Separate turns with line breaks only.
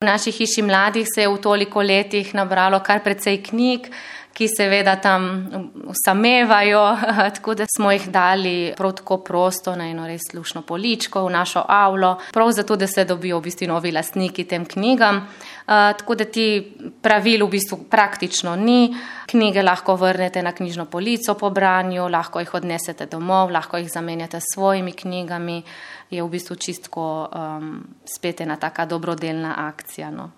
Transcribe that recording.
V naši hiši mladih se je v toliko letih nabralo kar precej knjig, ki seveda tam samevajo, tako da smo jih dali prav tako prosto na eno res luštno poličko v našo avlo, prav zato, da se dobijo v bistvu novi lastniki tem knjigam. Tako da ti pravil v bistvu praktično ni. Knjige lahko vrnete na knjižno polico po branju, lahko jih odnesete domov, lahko jih zamenjate s svojimi knjigami. Je v bistvu čistko spet ena taka dobrodelna akcija, no.